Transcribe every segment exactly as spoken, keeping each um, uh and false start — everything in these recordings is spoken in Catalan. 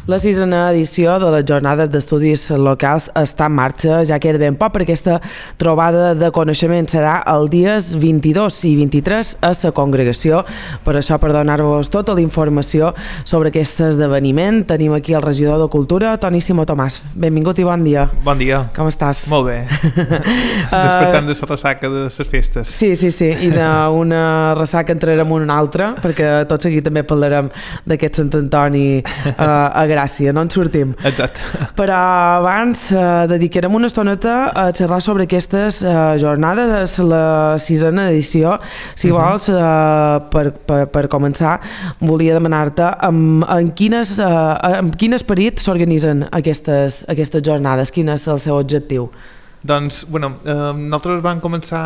La sisena edició de les Jornades d'Estudis Locals està en marxa, ja queda ben poc, perquè aquesta trobada de coneixement serà els dies vint-i-dos i vint-i-tres a la congregació. Per això, per donar-vos tota la informació sobre aquest esdeveniment, tenim aquí el regidor de Cultura, Toni Simó Tomàs. Benvingut i bon dia. Bon dia. Com estàs? Molt bé. Despertant de la ressaca de les festes. Sí, sí, sí, i d'una ressaca entrarem en una altra, perquè tot seguit també parlarem d'aquest Sant Antoni uh, a Gràcia, no en sortim. Exacte. Però abans uh, dedicarem una estoneta a xerrar sobre aquestes uh, jornades, és la sisena edició. Si uh -huh. vols, uh, per, per, per començar, volia demanar-te amb, en, quines, uh, amb quin esperit s'organitzen aquestes, aquestes jornades, quin és el seu objectiu? Doncs, bueno, eh, nosaltres vam començar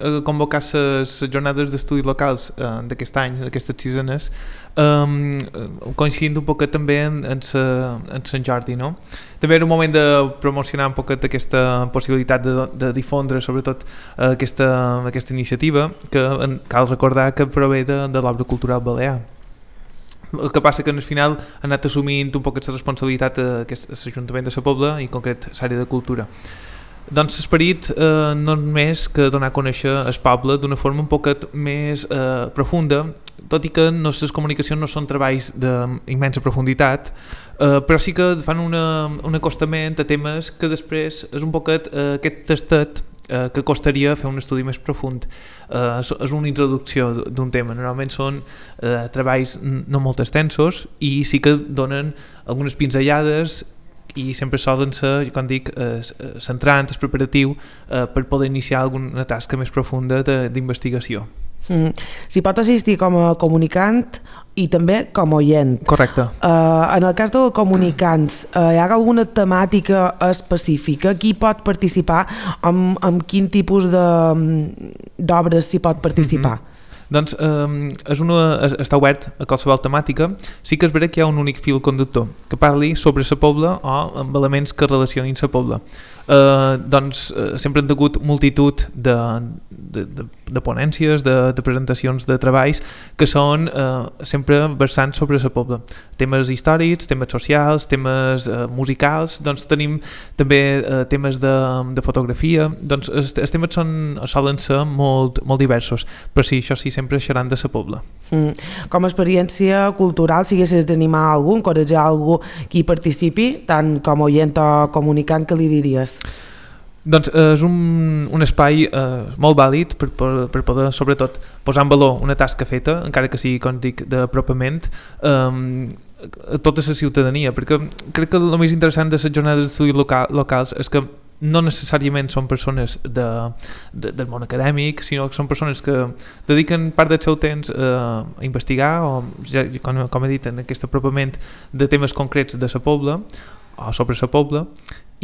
a convocar les jornades d'estudis locals eh, d'aquest any, d'aquestes sisenes, eh, coincidint un poquet també en, en, sa, en Sant Jordi, no? També era un moment de promocionar un poquet aquesta possibilitat de, de difondre sobretot eh, aquesta, aquesta iniciativa, que en, cal recordar que prové de, de l'obra cultural balear. El que passa que al final ha anat assumint un poquet la responsabilitat l'Ajuntament de la Pobla i en concret l'àrea de cultura. Doncs l'esperit eh, no és més que donar a conèixer el poble d'una forma un poquet més eh, profunda, tot i que no, les comunicacions no són treballs d'immensa profunditat, eh, però sí que fan una, un acostament a temes que després és un poquet eh, aquest tastet eh, que costaria fer un estudi més profund. Eh, és una introducció d'un tema, normalment són eh, treballs no molt extensos i sí que donen algunes pinzellades i sempre solen ser, com dic, eh, centrant, el preparatiu eh, per poder iniciar alguna tasca més profunda d'investigació. Mm. S'hi pot assistir com a comunicant i també com a oient. Correcte. Uh, en el cas dels comunicants, uh, hi ha alguna temàtica específica? Qui pot participar? Amb, amb quin tipus d'obres s'hi pot participar? Mm-hmm. Doncs eh, és una, està obert a qualsevol temàtica. Sí que és vera que hi ha un únic fil conductor que parli sobre la Pobla o amb elements que relacionin la Pobla. Eh, doncs eh, sempre han hagut multitud de, de, de, de ponències, de, de presentacions de treballs que són eh, sempre versants sobre la Pobla. Temes històrics, temes socials, temes eh, musicals, doncs tenim també eh, temes de, de fotografia, doncs els, els temes són, solen ser molt, molt diversos, però sí, això sí, sempre seran de la Pobla. Mm. Com a experiència cultural, si haguessis d'animar algú, encoratjar algú que hi participi, tant com a oient o comunicant, que li diries? Doncs eh, és un, un espai eh, molt vàlid per, per, per poder, sobretot, posar en valor una tasca feta, encara que sigui, com dic, d'apropament, eh, a tota la ciutadania, perquè crec que el més interessant de les jornades d'estudis local, locals és que no necessàriament són persones de, de, del món acadèmic, sinó que són persones que dediquen part del seu temps eh, a investigar o, ja, com, com he dit, en aquest apropament de temes concrets de la Pobla o sobre la Pobla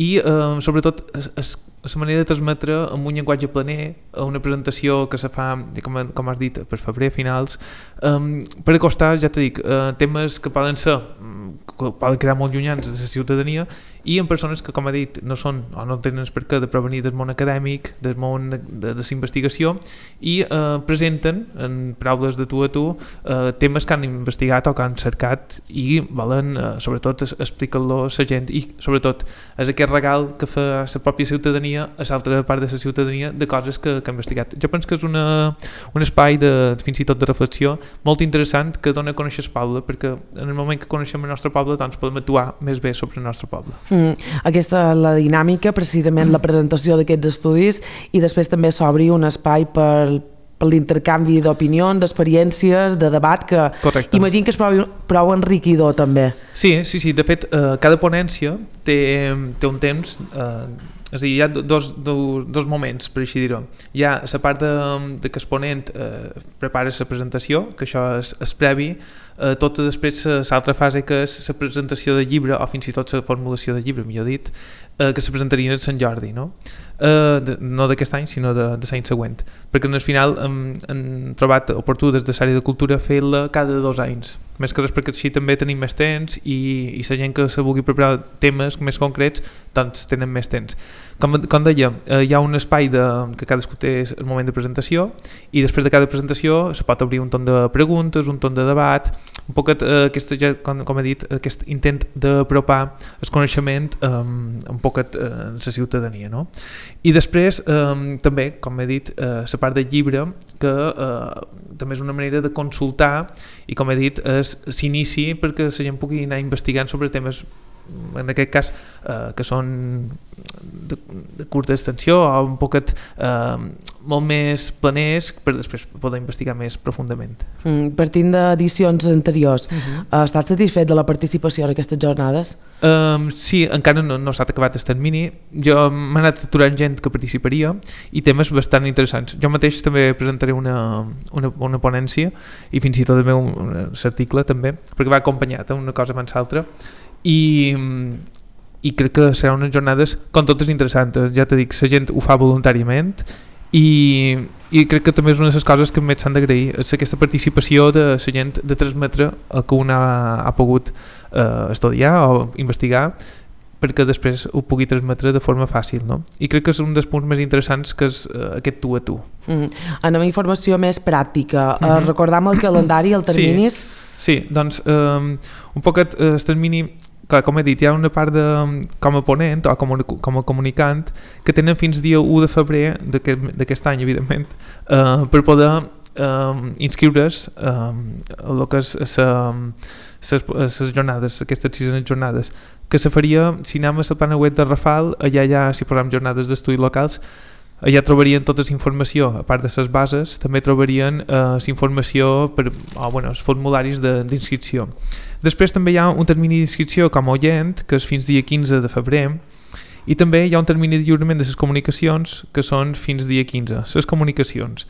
i eh, sobretot es, es, la manera de transmetre amb un llenguatge planer, una presentació que se fa, com, com has dit, per febrer finals, eh, per acostar, ja t'he dit, eh, temes que poden ser, que poden quedar molt llunyans de la ciutadania i en persones que, com he dit, no són o no tenen per què de provenir del món acadèmic, del món de, de, de la investigació i eh, presenten en paraules de tu a tu eh, temes que han investigat o que han cercat i volen, eh, sobretot, explicar-lo a la gent i, sobretot, és aquest regal que fa la pròpia ciutadania a l'altra part de la ciutadania de coses que, que ha investigat. Jo penso que és una, un espai de, fins i tot de reflexió molt interessant que dona a conèixer el poble, perquè en el moment que coneixem el nostre poble doncs podem actuar més bé sobre el nostre poble. Mm, aquesta és la dinàmica, precisament la presentació d'aquests estudis i després també s'obri un espai per per l'intercanvi d'opinions, d'experiències, de debat, que Correcte. Imagino que és prou, prou enriquidor també. Sí, sí, sí. De fet, eh, cada ponència té, té un temps, eh, és a dir, hi ha dos, dos, dos moments, per així dir-ho. Hi ha la part de, de que el ponent eh, prepara la presentació, que això és, és previ, eh, tota després l'altra fase que és la presentació del llibre, o fins i tot la formulació del llibre, millor dit, eh, que se presentarien a Sant Jordi, no? Eh, de, no d'aquest any, sinó de, de l'any següent, perquè al final hem, hem trobat oportú des de l'àrea de cultura fer-la cada dos anys, més que res perquè així també tenim més temps i, i la gent que se vulgui preparar temes més concrets doncs tenen més temps. Com, com deia, eh, hi ha un espai de, que cadascú té el moment de presentació i després de cada presentació se pot obrir un torn de preguntes, un torn de debat, un poquet, eh, aquesta, ja, com, com he dit, aquest intent d'apropar el coneixement eh, un poquet eh, en la ciutadania, no? I després eh, també, com he dit, eh, la part del llibre, que eh, també és una manera de consultar i, com he dit, s'inici perquè la gent pugui anar investigant sobre temes, en aquest cas, eh, que són de, de curta extensió o un poquet eh, molt més planers per després poder investigar més profundament. Mm, partint d'edicions anteriors, uh-huh. has estat satisfet de la participació en aquestes jornades? Um, sí, encara no, no s'ha acabat el termini. Jo m'he anat aturant gent que participaria i temes bastant interessants. Jo mateix també presentaré una, una, una ponència i fins i tot el meu article també, perquè va acompanyat una cosa abans l'altra. I, i crec que seran unes jornades com totes interessants. Ja t'he dit, la gent ho fa voluntàriament i, i crec que també és una de les coses que més s'han d'agrair, és aquesta participació de la gent de transmetre el que un ha, ha pogut eh, estudiar o investigar perquè després ho pugui transmetre de forma fàcil, no? I crec que és un dels punts més interessants que és eh, aquest tu a tu. Mm. Anem a informació més pràctica. Mm-hmm. Uh, recordam el calendari, el terminis? Sí, sí, doncs um, un poquet eh, el termini, clar, com he dit, hi ha una part de, com a ponent o com a, com a comunicant que tenen fins dia u de febrer d'aquest any, evidentment, eh, per poder eh, inscriure's eh, a el que és les jornades, aquestes sisenes jornades, que se faria, si anem a la plana web de Rafal, allà ja, si posem jornades d'estudis locals, allà trobarien tota la informació, a part de les bases, també trobarien la eh, informació per, oh, bueno, els formularis d'inscripció. Després també hi ha un termini d'inscripció com a oient, que és fins dia quinze de febrer, i també hi ha un termini de lliurament de les comunicacions, que són fins dia quinze, les comunicacions.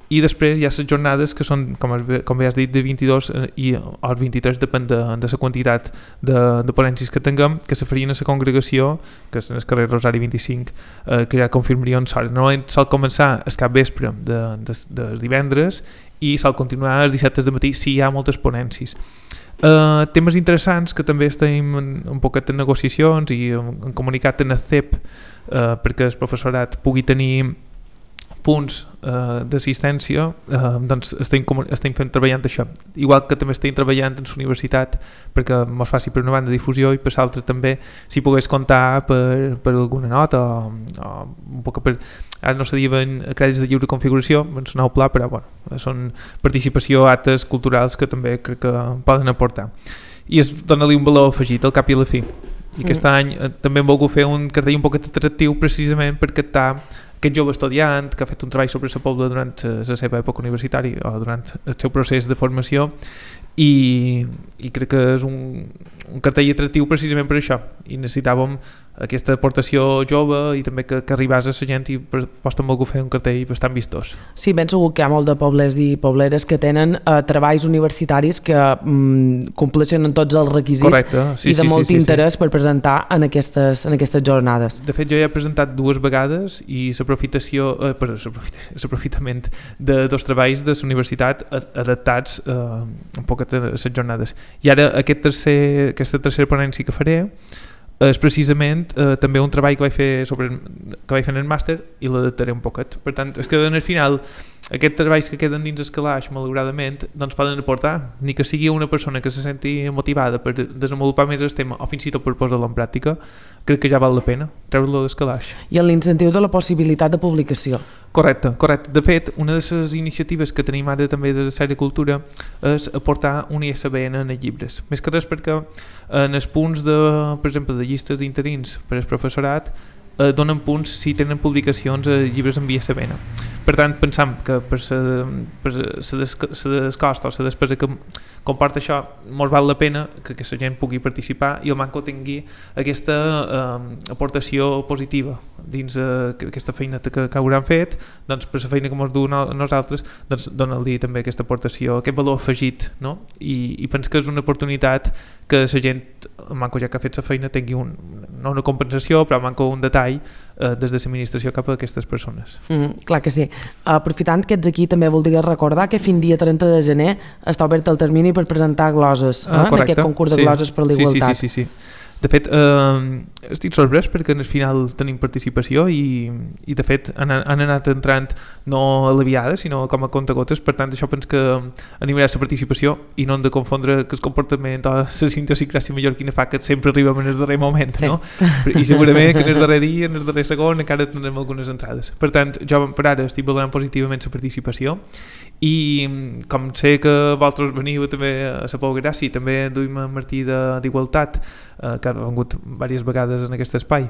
I després hi ha les jornades que són, com, com ja has dit, de vint-i-dos i o vint-i-tres, depèn de, de la quantitat de, de ponències que tinguem, que se farien a la congregació, que és en el carrer Rosari vint-i-cinc, eh, que ja confirmarien l'hora. Normalment sol començar el cap vespre de, de, de divendres i sol continuar els dissabtes de matí si hi ha moltes ponències. Uh, temes interessants que també estem en, un poquet en negociacions i en, en comunicat en el C E P uh, perquè el professorat pugui tenir punts uh, d'assistència, uh, doncs estem, estem fent treballant això, igual que també estem treballant en la universitat perquè ens faci per una banda difusió i per l'altra també si pogués comptar per, per alguna nota o, o un poc per, ara no se diuen crèdits de lliure configuració, ens nou pla, però bueno, són participació a actes culturals que també crec que poden aportar i es dona-li un valor afegit al cap i a la fi. I aquest mm. any eh, també hem volgut fer un cartell un poquet atractiu precisament per captar aquest jove estudiant que ha fet un treball sobre la Pobla durant la seva època universitària o durant el seu procés de formació i, i crec que és un, un cartell atractiu precisament per això i necessitàvem aquesta aportació jove i també que, que arribés a la gent i per posta hem volgut fer un cartell bastant vistós. Sí, ben segur que hi ha molt de pobles i pobleres que tenen eh, treballs universitaris que mm, compleixen en tots els requisits. Correcte. Sí, i de sí, molt sí, interès sí, sí. per presentar en aquestes, en aquestes jornades. De fet, jo ja he presentat dues vegades i l'aprofitació, eh, per l'aprofitament de dos treballs de la universitat adaptats eh, un poc a les jornades. I ara aquest tercer, aquesta tercera ponència que faré és precisament eh, també un treball que vaig fer sobre que vaig fer en el màster i l'adaptaré un poquet. Per tant, és que en el final aquests treballs que queden dins el calaix, malauradament, doncs poden aportar, ni que sigui una persona que se senti motivada per desenvolupar més el tema o fins i tot per posar-lo en pràctica, crec que ja val la pena treure-lo del calaix. I en l'incentiu de la possibilitat de publicació. Correcte, correcte. De fet, una de les iniciatives que tenim ara també de la Sèrie Cultura és aportar un I S B N en els llibres. Més que res perquè en els punts, de, per exemple, de llistes d'interins per al professorat eh, donen punts si tenen publicacions a llibres amb I S B N. Per tant, pensam que per la descosta o la despesa que comporta això, molt val la pena que aquesta gent pugui participar i el Manco tingui aquesta eh, aportació positiva dins eh, aquesta feina que, que hauran fet, doncs per la feina que ens du no, nosaltres, doncs dona-li també aquesta aportació, aquest valor afegit, no? I, i penso que és una oportunitat que la gent, el Manco ja que ha fet la feina, tingui un, no una compensació, però Manco un detall eh, des de l'administració cap a aquestes persones. Mm, clar que sí. Aprofitant que ets aquí, també voldria recordar que fins dia trenta de gener està obert el termini per presentar gloses, ah, eh, en aquest concurs de sí. gloses per l'igualtat. Sí, sí, sí, sí, sí. De fet, eh, estic sorprès perquè en el final tenim participació i, i de fet han, han anat entrant no aliviades sinó com a contagotes, per tant això penso que animarà la participació i no hem de confondre que el comportament o la idiosincràsia mallorquina fa que sempre arribem en el darrer moment, sí. No? I segurament que en el darrer dia, en el darrer segon encara tindrem algunes entrades. Per tant, jo per ara estic valorant positivament la participació i com sé que vosaltres veniu també a la Pou Gràcia i també duim a Martí d'Igualtat, eh, que ha vengut diverses vegades en aquest espai,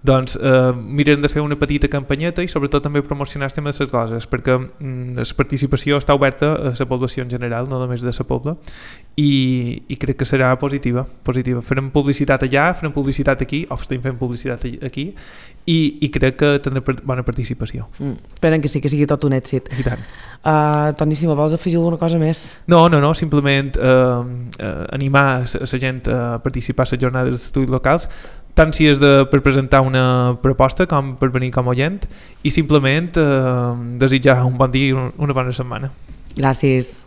doncs eh, mirem de fer una petita campanyeta i sobretot també promocionar el tema de les coses, perquè mm, la participació està oberta a la població en general, no només de la pobla, i, i crec que serà positiva, positiva. Farem publicitat allà, farem publicitat aquí, o estem fent publicitat aquí, i, i crec que tindrà bona participació. Mm, esperem que sí, que sigui tot un èxit. I tant. Uh, Toni, si me vols afegir alguna cosa més? No, no, no, simplement eh, eh, animar la gent a participar a les jornades d'estudis locals, tant si és de, per presentar una proposta com per venir com a oient, i simplement eh, desitjar un bon dia i una bona setmana. Gràcies.